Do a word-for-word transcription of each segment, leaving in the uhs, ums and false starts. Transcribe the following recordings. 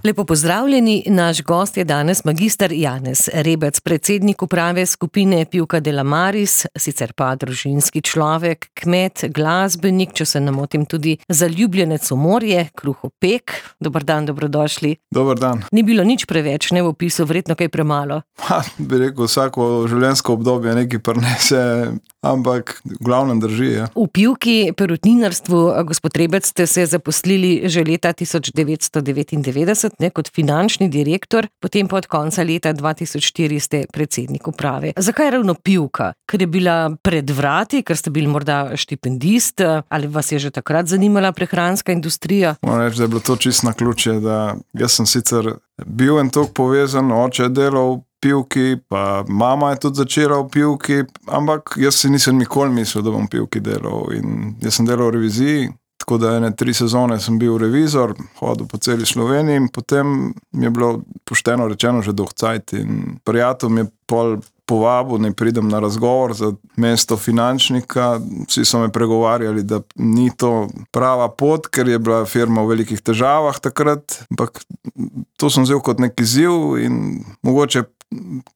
Lepo pozdravljeni, naš gost je danes magister Janez Rebec, predsednik uprave skupine Pivka de la Maris, sicer pa družinski človek, kmet, glasbenik, če se ne motim tudi zaljubljenec v morje, kruhopek. Dober dan, dobrodošli. Dober dan. Ni bilo nič preveč, ne v opisu, verjetno kaj premalo. Ha, bi rekel, vsako življenjsko obdobje nekaj prinese, ampak v glavnem drži. Ja. V Pivki perutninarstvu, gospod Rebec, ste se zaposlili že leta tisoč devetsto devetindevetdeset, ne, kot finančni direktor, potem pa od konca leta dva tisoč štiri ste predsednik uprave. Zakaj ravno Pivka? Ker je bila pred vrati, ker ste bili morda štipendist, ali vas je že takrat zanimala prehranska industrija? Moram reči, da je bilo to čisto naključje, da jaz sem sicer bil en tok povezan, oče je delal v Pivki, pa mama je tudi začela v Pivki, ampak jaz si nisem nikoli mislil, da bom v Pivki delal, in jaz sem delal v reviziji. Tako da ene tri sezone sem bil revizor, hodil po celi Sloveniji in potem mi je bilo pošteno rečeno že dolg cajt in prijatelj mi je pol povabil, ne pridem na razgovor za mesto finančnika. Vsi so me pregovarjali, da ni to prava pot, ker je bila firma v velikih težavah takrat, ampak to sem vzel kot nek izziv in mogoče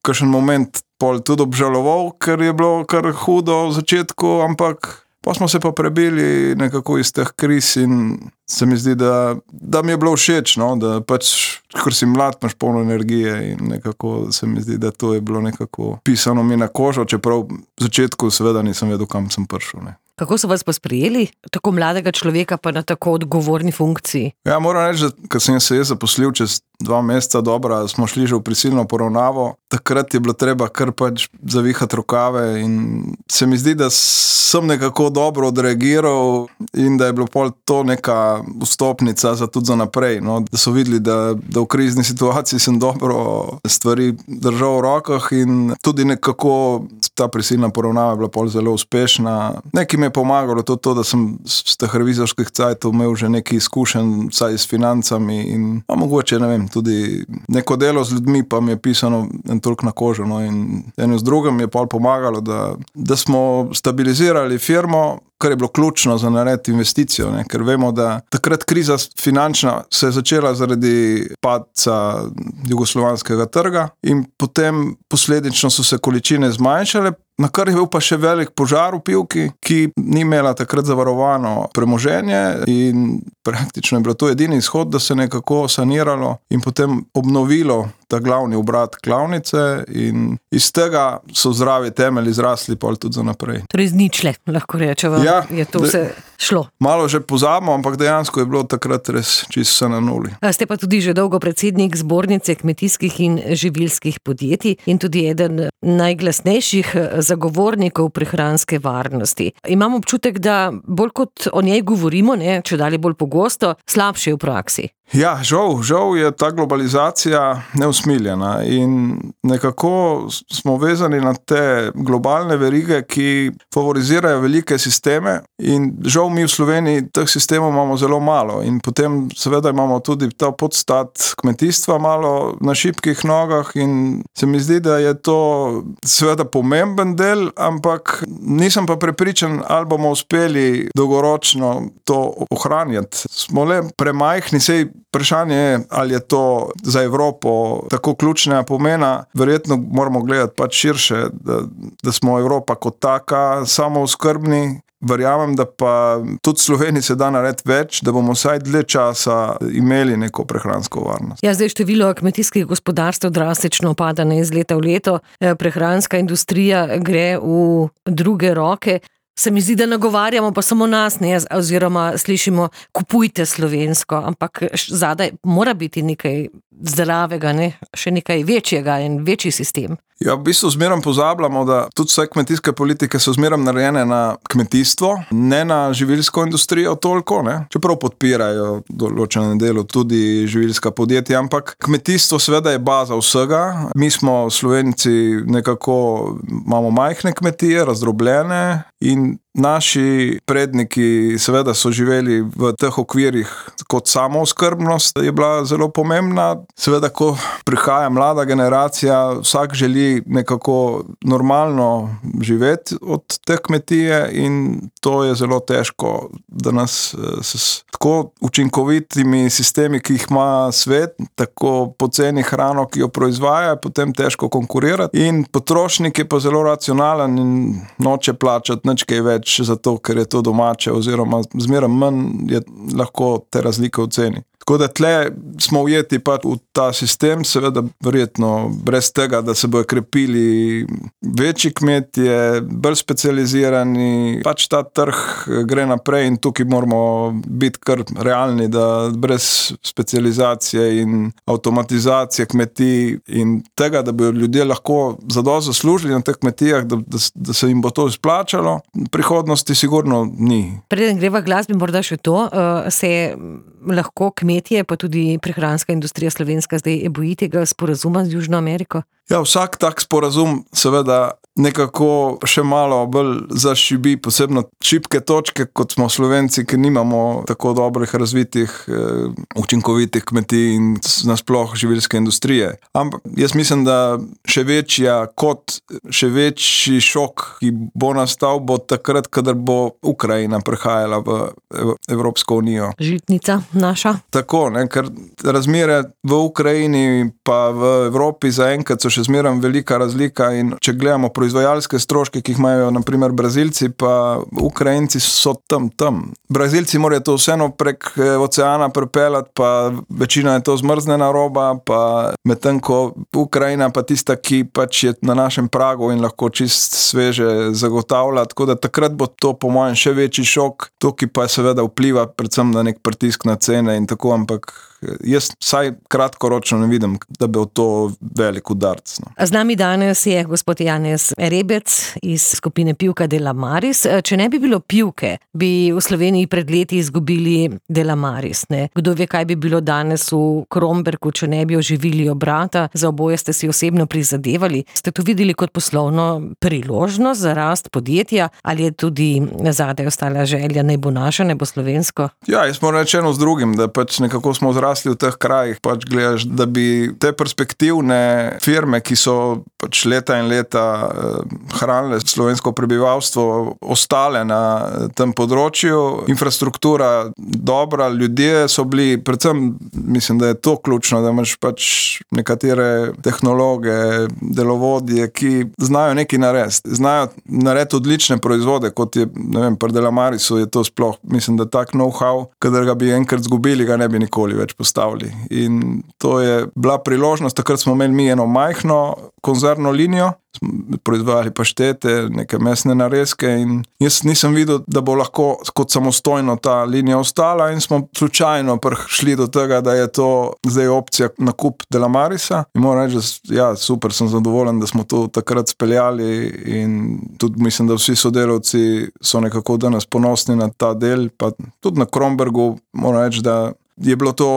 kakšen moment pol tudi obžaloval, ker je bilo kar hudo v začetku, ampak pa smo se pa prebili nekako iz teh kriz in se mi zdi, da, da mi je bilo všeč, no? Da pač, ker si mlad, imaš polno energije in nekako se mi zdi, da to je bilo nekako pisano mi na kožo, čeprav v začetku seveda nisem vedel, kam sem prišel. Ne? Kako so vas pa sprejeli, tako mladega človeka pa na tako odgovorni funkciji? Ja, moram reči, da ko sem se jaz zaposlil čez dva meseca dobra, smo šli že v prisilno poravnavo, takrat je bilo treba kar pač zavihati rokave in se mi zdi, da sem nekako dobro odreagiral in da je bilo pol to neka vstopnica za tudi za naprej, no? Da so videli, da, da v krizni situaciji sem dobro stvari držal v rokah in tudi nekako ta prisilna poravnava je bila pol zelo uspešna. Nekaj mi je pomagalo to, to da sem z teh revizorskih cajtov imel že nekaj izkušenj, vsaj s financami in a mogoče, ne vem, tudi neko delo z ljudmi pa mi je pisano en toliko na kožo, no, in eno z drugim je pol pomagalo, da, da smo stabilizirali firmo, kar je bilo ključno za narediti investicijo, ne? Ker vemo, da takrat kriza finančna se je začela zaradi padca jugoslovanskega trga in potem posledično so se količine zmanjšale, na kar je bil pa še velik požar v Pivki, ki ni imela takrat zavarovano premoženje in praktično je bilo to edini izhod, da se nekako saniralo in potem obnovilo ta glavni obrat klavnice in iz tega so zdravi temelji zrasli pol tudi za naprej. Torej z ničle, lahko rečemo, ja, je to vse šlo. Malo že pozabimo, ampak dejansko je bilo takrat res čisto vse na nuli. A ste pa tudi že dolgo predsednik Zbornice kmetijskih in živilskih podjetij in tudi eden najglasnejših zagovornikov prehranske varnosti. Imam občutek, da bolj kot o njej govorimo, ne, če dalje bolj pogosto, slabše v praksi. Ja, žal, žal je ta globalizacija neusmiljena in nekako smo vezani na te globalne verige, ki favorizirajo velike sisteme in žal mi v Sloveniji teh sistemov imamo zelo malo in potem seveda imamo tudi ta podstat kmetijstva malo na šibkih nogah in se mi zdi, da je to seveda pomemben del, ampak nisem pa prepričan, ali bomo uspeli dolgoročno to ohranjati. Smo le premajhni, sej vprašanje je, ali je to za Evropo tako ključnega pomena. Verjetno moramo gledati pač širše, da, da smo Evropa kot taka samooskrbni. Verjamem, da pa tudi Sloveniji se da narediti več, da bomo vsaj dlje časa imeli neko prehransko varnost. Ja, zdaj število kmetijskih gospodarstev drastično pada iz leta v leto. Prehranska industrija gre v druge roke. Se mi zdi, da nagovarjamo pa samo nas, ne, oziroma slišimo, kupujte slovensko, ampak zadaj mora biti nekaj zdravega, ne, še nekaj večjega in večji sistem. Ja, v bistvu zmerom pozabljamo, da tudi vse kmetijske politike so zmerom narejene na kmetijstvo, ne na živilsko industrijo toliko, ne. Čeprav podpirajo določene delo tudi živilska podjetja, ampak kmetijstvo seveda je baza vsega. Mi smo Slovenci nekako, imamo majhne kmetije, razdrobljene in naši predniki seveda so živeli v teh okvirih kot samooskrbnost je bila zelo pomembna. Seveda, ko prihaja mlada generacija, vsak želi nekako normalno živeti od te kmetije in to je zelo težko, da nas s tako učinkovitimi sistemi, ki jih ima svet, tako poceni hrano, ki jo proizvaja, potem težko konkurirati in potrošnik je pa zelo racionalen in noče plačati nič kaj več zato, ker je to domače oziroma zmeraj manj je lahko te razlike v ceni. Tako da tle smo ujeti pač v ta sistem, seveda verjetno brez tega, da se bojo krepili večji kmetje, bolj specializirani, pač ta trg gre naprej in tukaj moramo biti kar realni, da brez specializacije in avtomatizacije kmetij in tega, da bojo ljudje lahko zadosti zaslužili na teh kmetijah, da, da, da se jim bo to izplačalo, prihodnosti sigurno ni. Preden greva glasbi, morda še to, se lahko kmetje, pa tudi prehranska industrija slovenska zdaj boji tega sporazuma z Južno Ameriko? Ja, vsak tak sporazum seveda nekako še malo bolj zašibi, posebno šibke točke, kot smo Slovenci, ki nimamo tako dobrih razvitih, učinkovitih kmetij in nasploh živilske industrije. Ampak jaz mislim, da še večja kot, še večji šok, ki bo nastal, bo takrat, kadar bo Ukrajina prehajala v Evropsko unijo. Žitnica naša. Tako, ne, ker razmere v Ukrajini pa v Evropi zaenkrat so še zmeraj velika razlika in če gledamo proizvajalske stroške, ki jih imajo na primer Brazilci, pa Ukrajinci so tam, tam. Brazilci morajo to vseeno prek oceana prepeljati, pa večina je to zmrznjena roba, pa medtem ko Ukrajina pa tista, ki pač je na našem pragu in lahko čist sveže zagotavlja, tako da takrat bo to po mojem še večji šok, to ki pa seveda vpliva predvsem na nek pritisk na cene in tako, ampak jaz vsaj kratkoročno ne vidim, da bi to velik udarc. No. Z nami danes je gospod Janez Rebec iz skupine Pivka Delamaris. Če ne bi bilo Pivke, bi v Sloveniji pred leti izgubili Delamaris. Ne? Kdo ve, kaj bi bilo danes v Kromberku, če ne bi oživili obrata? Za oboje ste si osebno prizadevali. Ste to videli kot poslovno priložnost za rast podjetja ali je tudi zadaj ostala želja, naj bo naša, naj bo slovensko? Ja, jaz moram reči eno z drugim, da pač nekako smo zrasli v teh krajih, pač gledaš, da bi te perspektivne firme, ki so pač leta in leta hranile slovensko prebivalstvo, ostale na tem področju. Infrastruktura dobra, ljudje so bili, predvsem mislim, da je to ključno, da imaš pač nekatere tehnologe, delovodje, ki znajo nekaj narediti. Znajo narediti odlične proizvode, kot je, ne vem, pri Delamarisu je to sploh, mislim, da tak know-how, kadar ga bi enkrat zgubili, ga ne bi nikoli več postavili. In to je bila priložnost, takrat smo imeli mi eno majhno konzervno linijo, proizvajali paštete, neke mesne narezke in jaz nisem videl, da bo lahko kot samostojno ta linija ostala in smo slučajno prišli do tega, da je to zdaj opcija nakup Delamarisa in moram reči, da ja, super, sem zadovoljen, da smo to takrat speljali in tudi mislim, da vsi sodelavci so nekako danes ponosni na ta del, pa tudi na Krombergu moram reči, da je bilo to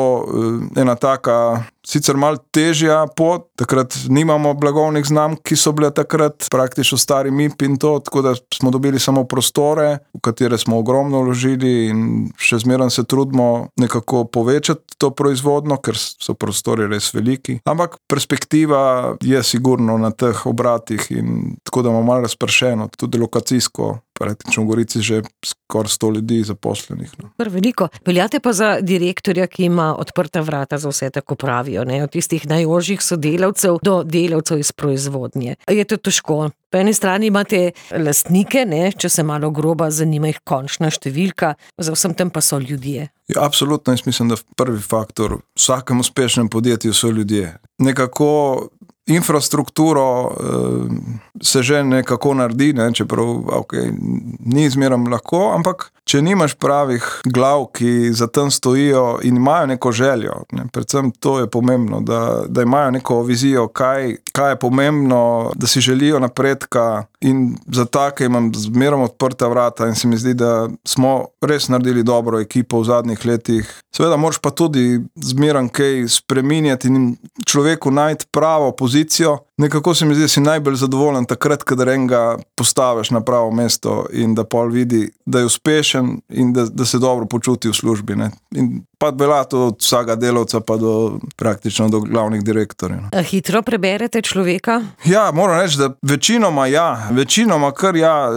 ena taka sicer malo težja pot, takrat nimamo blagovnih znamk, ki so bile takrat praktično stari M I P in to, tako da smo dobili samo prostore, v katere smo ogromno vložili in še zmeraj se trudimo nekako povečati to proizvodno, ker so prostori res veliki. Ampak perspektiva je sigurno na teh obratih in tako da imamo malo razpršeno, tudi lokacijsko. Praktično v Gorici že skoraj sto ljudi zaposlenih. No. Veliko. Veljate pa za direktorja, ki ima odprta vrata za vse, tako pravijo, ne? Od tistih najožjih sodelavcev do delavcev iz proizvodnje. Je to težko? Po eni strani imate lastnike, ne? Če se malo groba zanima jih končna številka, za vsem tem pa so ljudje. Ja, absolutno, jaz mislim, da prvi faktor v vsakem uspešnem podjetju so ljudje. Nekako infrastrukturo uh, se že nekako naredi, ne, čeprav okay, ni zmeraj lahko, ampak če nimaš pravih glav, ki za tem stojijo in imajo neko željo, ne, predvsem to je pomembno, da, da imajo neko vizijo, kaj, kaj je pomembno, da si želijo napredka in za take imam zmerom odprta vrata in se mi zdi, da smo res naredili dobro ekipo v zadnjih letih. Seveda moraš pa tudi zmerom kaj spreminjati in človeku najti pravo pozicijo. Nekako se mi zdi, da si najbolj zadovoljen takrat, kadar enega postaviš na pravo mesto in da pol vidi, da je uspešen in da, da se dobro počuti v službi. Ne. In pa velja to od vsega delavca pa do praktično do glavnih direktorjev. A hitro preberete človeka? Ja, moram reči, da večinoma ja, večinoma kar ja,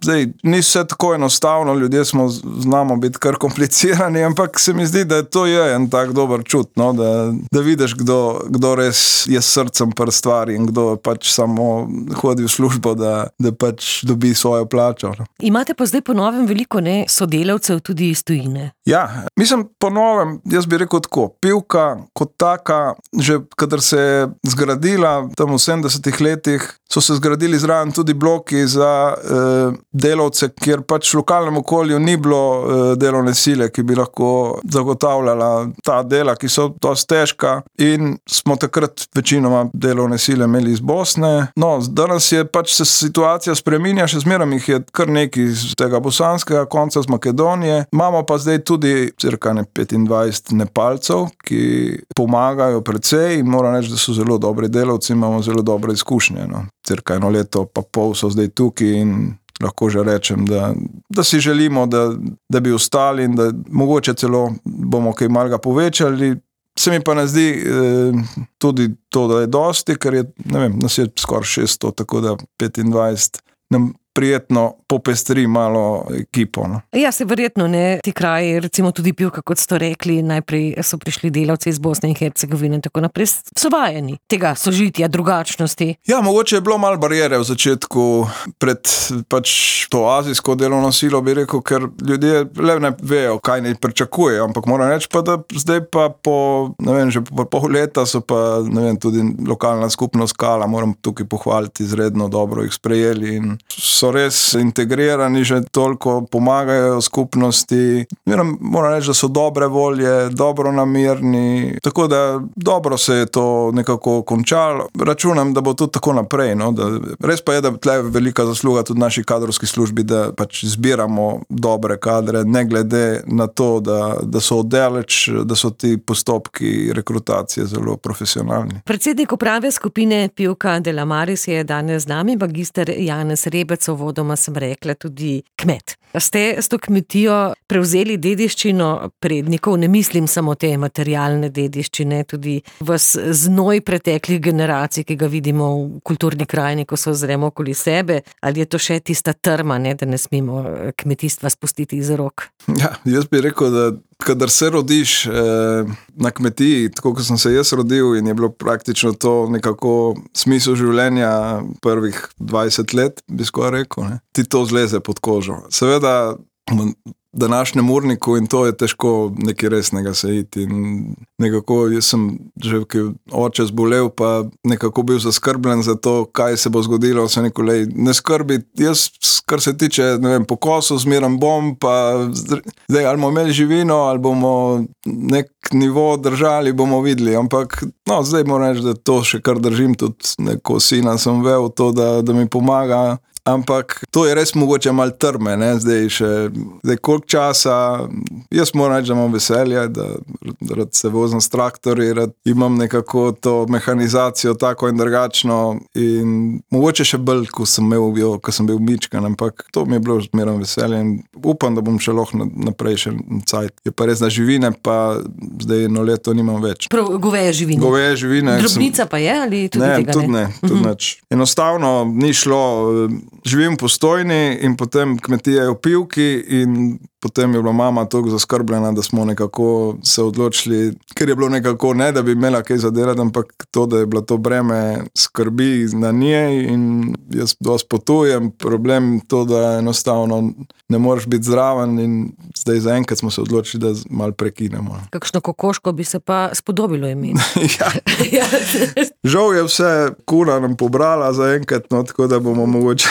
zdaj ni vse tako enostavno, ljudje smo znamo biti kar komplicirani, ampak se mi zdi, da to je en tak dober čut, no, da, da vidiš, kdo, kdo res je s srcem pri stvari in kdo pač samo hodi v službo, da, da pač dobi svojo plačo. No. Imate pa zdaj po novem veliko ne, sodelavcev tudi iz tujine. Ja, mislim po novem, jaz bi rekel tako, Pivka kot taka, že kadar se je zgradila tam v sedemdesetih letih, so se zgradili zraven tudi bloki za eh, delavce, kjer pač v lokalnem okolju ni bilo eh, delovne sile, ki bi lahko zagotavljala ta dela, ki so dosti težka in smo takrat večinoma delovne sile imeli iz Bosne. No, danes je pač se situacija spreminja, še zmerom jih je kar nekaj iz tega bosanskega konca, z Makedonije. Imamo pa zdaj tudi cirka ne petindvajset Nepalcev, ki pomagajo precej in moram reči, da so zelo dobri delavci, imamo zelo dobre izkušnje. No. Cirka eno leto pa pol so zdaj tukaj in lahko že rečem, da, da si želimo, da, da bi ostali in da mogoče celo bomo kaj malega povečali. Se mi pa ne zdi eh, tudi to, da je dosti, ker je, ne vem, nas je skoraj šeststo, tako da petindvajset nam prijetno popestri malo ekipo. No. Ja, se verjetno ne, ti kraji, recimo tudi Pivka, kot ste rekli, najprej so prišli delavci iz Bosne in Hercegovine in tako naprej, so vajeni tega sožitja, drugačnosti. Ja, mogoče je bilo malo barijere v začetku pred pač to azijsko delovno silo, bi rekel, ker ljudje le ne vejo, kaj ne pričakujejo, ampak moram reči pa, da zdaj pa po, ne vem, že po pol leta so pa, ne vem, tudi lokalna skupnost Kala, moram tukaj pohvaliti, izredno dobro jih sprejeli in so res integrirani, že toliko pomagajo skupnosti. Moram, moram reči, da so dobre volje, dobro namirni, tako da dobro se je to nekako končalo. Računam, da bo tudi tako naprej. No? Da, res pa je, da tle je velika zasluga tudi naši kadrovski službi, da pač zbiramo dobre kadre, ne glede na to, da, da so oddaleč, da so ti postopki rekrutacije zelo profesionalni. Predsednik uprave skupine Pivka de la Maris je danes z nami, magister Janez Rebec, vodoma sem rekla tudi kmet. Ste s to kmetijo prevzeli dediščino prednikov, ne mislim samo te materialne dediščine, tudi vas znoj preteklih generacij, ki ga vidimo v kulturni krajini, ko se ozremo okoli sebe, ali je to še tista trma, ne, da ne smemo kmetijstva spustiti iz rok? Ja, jaz bi rekel, da kadar se rodiš eh, na kmetiji, tako kot sem se jaz rodil in je bilo praktično to nekako smisel življenja prvih dvajset let, bi skoraj rekel, ne? Ti to zleze pod kožo. Seveda v današnjem urniku in to je težko nekaj resnega se iti in nekako jaz sem že oče zbolel pa nekako bil zaskrbljen za to, kaj se bo zgodilo, se nekolej ne skrbi, jaz kar se tiče, ne vem, pokosu zmeram bom, pa zdaj ali bomo imeli živino, ali bomo nek nivo držali, bomo videli, ampak no, zdaj moram reči, da to še kar držim, tudi neko sina sem vel to, da, da mi pomaga. Ampak to je res mogoče malo trme, ne, zdaj še, zdaj koliko časa, jaz moram reči, da imam veselje, da rad se vozim s traktorji, rad imam nekako to mehanizacijo tako in drugačno in mogoče še bolj, ko sem imel, jo, ko sem bil mičkan, ampak to mi je bilo zmeraj veselje in upam, da bom še lahko naprej še cajt. Je pa res na živine, pa zdaj eno leto nimam več. Prav, goveje živine. Goveje živine. Drobnica sem, pa je, ali tudi ne, tega tudi ne? Ne, tudi uh-huh. Neč. Enostavno ni šlo, živim v Postojni in potem kmetije v Pivki in potem je bila mama toliko zaskrbljena, da smo nekako se odločili, ker je bilo nekako ne, da bi imela kaj zadelati, ampak to, da je bilo to breme skrbi na njej in jaz dosti potujem, problem to, da enostavno ne moreš biti zraven in zdaj zaenkrat smo se odločili, da malo prekinemo. Kakšno kokoško bi se pa spodobilo imeti? Ja. Žal je vse kura nam pobrala zaenkrat, no, tako da bomo mogoče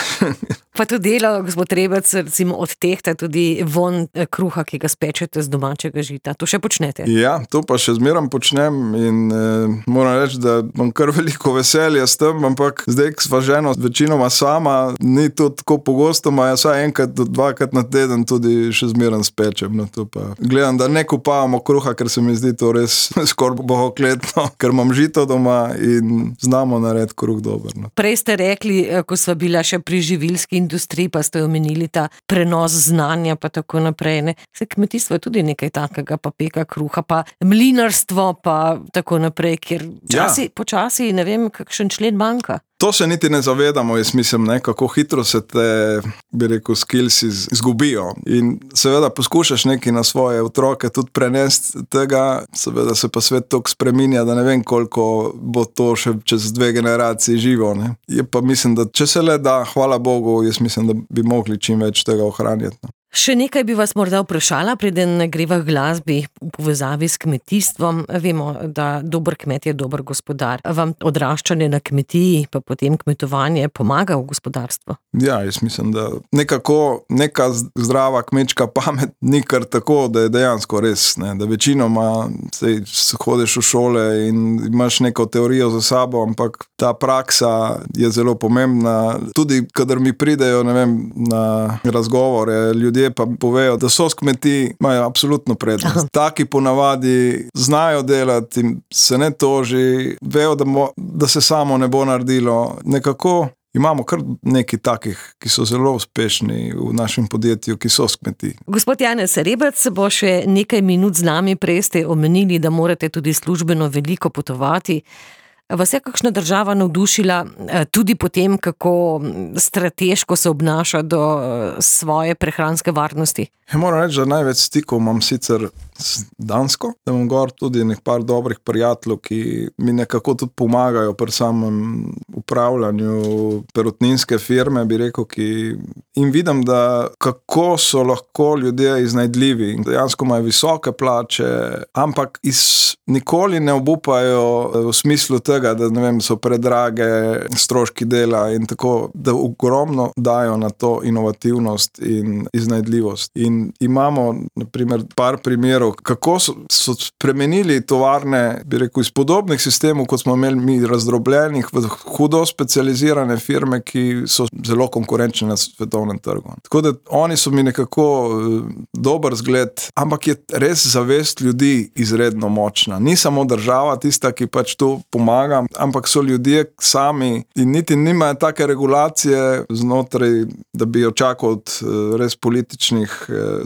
Pa to delo, gospod Rebec, recimo odtehta tudi von kruha, ki ga spečete z domačega žita. To še počnete? Ja, to pa še zmeram počnem in eh, moram reči, da imam kar veliko veselja s tem, ampak zdaj, ko sva ženo večinoma sama, ni to tako pogosto, ma jaz vsaj enkrat do dvakrat na teden tudi še zmeram spečem. No, to pa gledam, da ne kupavamo kruha, ker se mi zdi to res skoraj bohokletno, ker imam žito doma in znamo narediti kruh dober. No. Prej ste rekli, ko sva bila še pri živilski industriji, pa ste omenili ta prenos znanja pa tako naprej. Ne? Se kmetijstvo je tudi nekaj takega, pa peka kruha, pa mlinarstvo, pa tako naprej, kjer časi, ja. počasi, ne vem, kakšen člen manjka. To se niti ne zavedamo, jaz mislim, ne, kako hitro se te, bi rekel, skills izgubijo. In seveda poskušaš nekaj na svoje otroke tudi prenesti tega, seveda se pa svet toliko spreminja, da ne vem, koliko bo to še čez dve generaciji živo. Ne. Je pa mislim, da če se le da, hvala Bogu, jaz mislim, da bi mogli čim več tega ohranjati. No. Še nekaj bi vas morda vprašala, preden greva k glasbi v povezavi s kmetijstvom. Vemo, da dober kmet je dober gospodar. Vam odraščanje na kmetiji, pa potem kmetovanje pomaga v gospodarstvu? Ja, jaz mislim, da nekako neka zdrava kmečka pamet ni kar tako, da je dejansko res. Ne? Da večinoma sej, hodiš v šole in imaš neko teorijo za sabo, ampak ta praksa je zelo pomembna. Tudi, kadar mi pridejo, ne vem, na razgovore, ljudje pa povejo, da so s kmetij imajo absolutno prednost. Taki ponavadi znajo delati in se ne toži, vejo, da, mo, da se samo ne bo naredilo. Nekako imamo kar nekaj takih, ki so zelo uspešni v našem podjetju, ki so s kmetij. Gospod Janez Rebec bo še nekaj minut z nami, prej ste omenili, da morate tudi službeno veliko potovati. Vas je kakšna država navdušila tudi potem, kako strateško se obnaša do svoje prehranske varnosti? Ja, moram reči, da največ stikov imam sicer s Dansko, da imam gor tudi nek par dobrih prijateljev, ki mi nekako tudi pomagajo pri samem upravljanju perutninske firme, bi rekel, ki in vidim, da kako so lahko ljudje iznajdljivi. Dejansko imajo visoke plače, ampak iz, nikoli ne obupajo v smislu tega, da ne vem, so predrage stroški dela in tako, da ogromno dajo na to inovativnost in iznajdljivost. In imamo, na primer, par primerov, kako so, so spremenili tovarne, bi rekel, iz podobnih sistemov, kot smo imeli mi razdrobljenih v hudo specializirane firme, ki so zelo konkurenčne na svetovnem trgu. Tako da oni so mi nekako dober zgled, ampak je res zavest ljudi izredno močna. Ni samo država tista, ki pač to pomaga, ampak so ljudje sami in niti nimajo take regulacije znotraj, da bi očakal od res političnih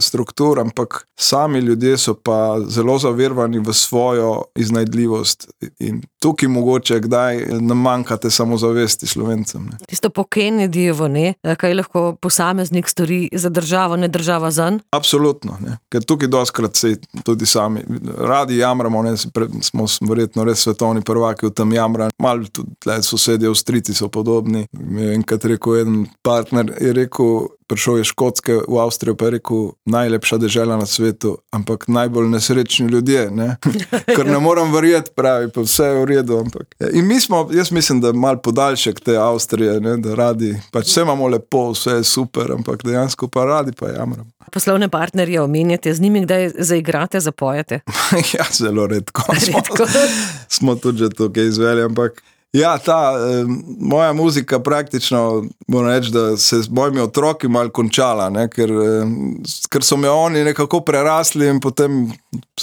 struktur, ampak sami ljudje so pa zelo zavirvani v svojo iznajdljivost in tukaj mogoče kdaj nam manjkate samozavesti Slovencem. Ne. Tisto po Kennedyjevo, ne, kaj lahko posameznik stori za državo, ne država zanj? Absolutno, ne. Ker tukaj doskrat se tudi sami radi jamramo, ne, smo verjetno res svetovni prvaki v tem jamranju. Malo tudi tle sosedje Avstrijci so podobni. Enkrat rekel en partner, je rekel, prišel je Škotske v Avstrijo, pa je rekel, najlepša dežela na svetu, ampak najbolj nesrečni ljudje, ne? Ker ne moram verjeti, pravi, pa vse je v redu, ampak. In mi smo, jaz mislim, da mal podaljšek te Avstrije, ne? Da radi, pač vse imamo lepo, vse je super, ampak dejansko pa radi pa jamramo. Poslovne partnerje omenjate, z njimi kdaj zaigrate, zapojete? Ja, zelo redko. Redko. Smo, smo tudi že tukaj izveli, ampak ja, ta eh, moja muzika praktično, moram reči, da se z mojimi otroki malo končala, ne, ker, eh, ker so me oni nekako prerasli in potem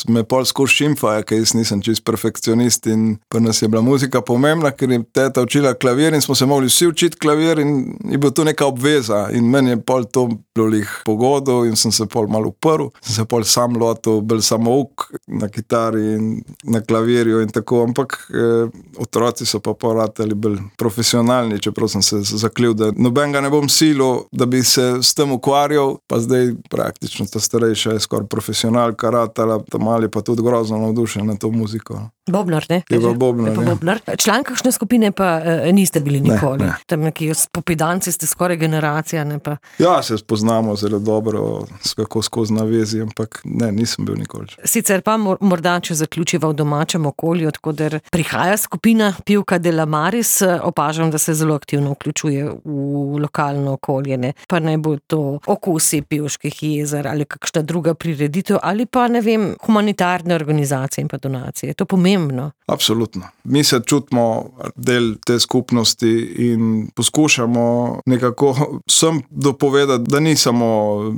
me pol skozi šimfajo, ker jaz nisem čist perfekcionist in pa nas je bila muzika pomembna, ker je teta učila klavir in smo se mogli vsi učiti klavir in je bila to neka obveza in meni je pol to lih pogodo in sem se pol malo uprl, sem se pol sam lotil, bil samouk na kitari in na klavirju in tako, ampak eh, otroci so pa poratali bolj profesionalni, čeprav sem se zaklil, da nobenega ne bom silil, da bi se s tem ukvarjal, pa zdaj praktično ta starejša je skoraj profesionalka ratala, ta mali pa tudi grozno navdušen na to muziko. Bobnar, ne? Je pa Bobnar, je pa ja. Bobnar. Član kakšne skupine pa uh, niste bili nikoli. Ne, ne. Tam neki spopidanci ste skoraj generacija, ne pa. Ja, se spoznamo zelo dobro, kako skozi navezi, ampak ne, nisem bil nikoli. Sicer pa morda, če zaključiva v domačem okolju, odkoder prihaja skupina Pivka de la Maris, opažam, da se zelo aktivno vključuje v lokalno okolje, ne? Pa naj bo to okusi Pivških jezer ali kakšna druga prireditev ali pa, ne vem, humanitarne organizacije in pa donacije. Je to pomembno? Absolutno. Mi se čutimo del te skupnosti in poskušamo nekako vsem dopovedati, da ni samo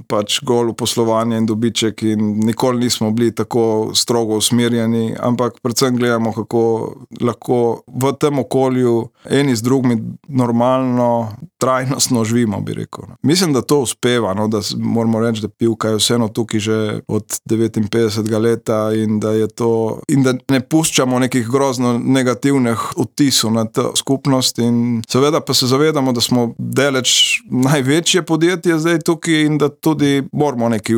pač golo poslovanje in dobiček in nikoli nismo bili tako strogo usmerjeni, ampak predvsem gledamo, kako lahko v tem okolju eni z drugimi normalno, trajnostno živimo, bi rekel. Mislim, da to uspeva, no, da moramo reči, da Pivka je vseeno tukaj že od devetinpetdesetega leta in da je to, in da ne puščamo nekih grozno negativnih odtisov na to skupnost in seveda pa se zavedamo, da smo deleč največje podjetje zdaj tukaj in da tudi moramo nekaj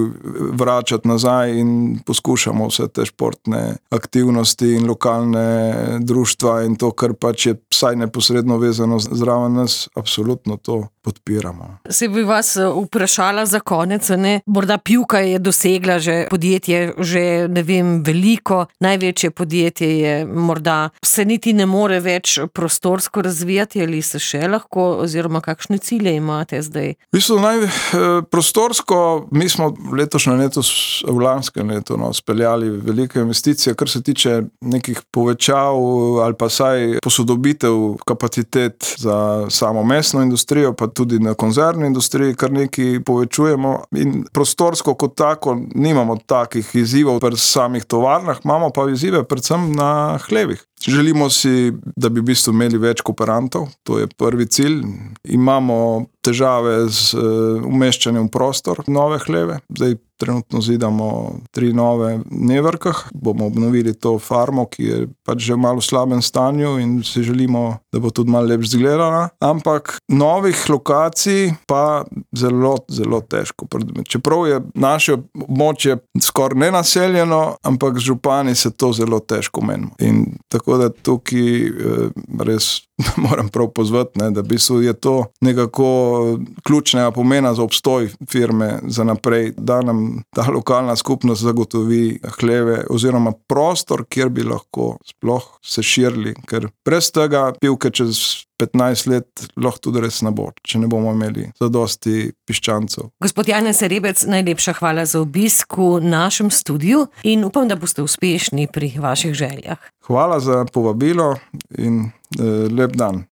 vračati nazaj in poskušamo vse te športne aktivnosti in lokalne društva in to, kar pač je vsaj neposredno vezano zraven nas, absolutno to podpiramo. Se bi vas vprašala za konec, ne? Morda Pivka je dosegla že podjetje, že ne vem, veliko, največje podjetje je morda, se niti ne more več prostorsko razvijati ali se še lahko, oziroma kakšne cilje imate zdaj? V bistvu naj, prostorsko, mi smo letošnje leto, v lanskem letu, no, speljali velike investicije, kar se tiče nekih povečav ali pa saj posodobitev kapacitet za samo mesno industrijo, pa tudi na konzervni industriji, kar nekaj povečujemo in prostorsko kot tako nimamo takih izzivov pri samih tovarnah, imamo pa izzive predvsem na hlevih. Želimo si, da bi v bistvu imeli več kooperantov, to je prvi cilj. Imamo težave z umeščanjem v prostor nove hleve, zdaj trenutno zidamo tri nove v Nevrkah, bomo obnovili to farmo, ki je pač že v malo slabem stanju in si želimo, da bo tudi malo lepš izgledala, ampak novih lokacij pa zelo, zelo težko. Čeprav je naše območje skoraj nenaseljeno, ampak z župani se to zelo težko menimo. In tako da tukaj res moram prav pozvati, ne, da v bistvu je to nekako ključnega pomena za obstoj firme za naprej, da nam ta lokalna skupnost zagotovi hleve oziroma prostor, kjer bi lahko sploh se širili, ker brez tega Pivke čez petnajst let lahko tudi res ne bo, če ne bomo imeli zadosti piščancev. Gospod Janez Rebec, najlepša hvala za obisk v našem studiu in upam, da boste uspešni pri vaših željah. Hvala za povabilo in eh, lep dan.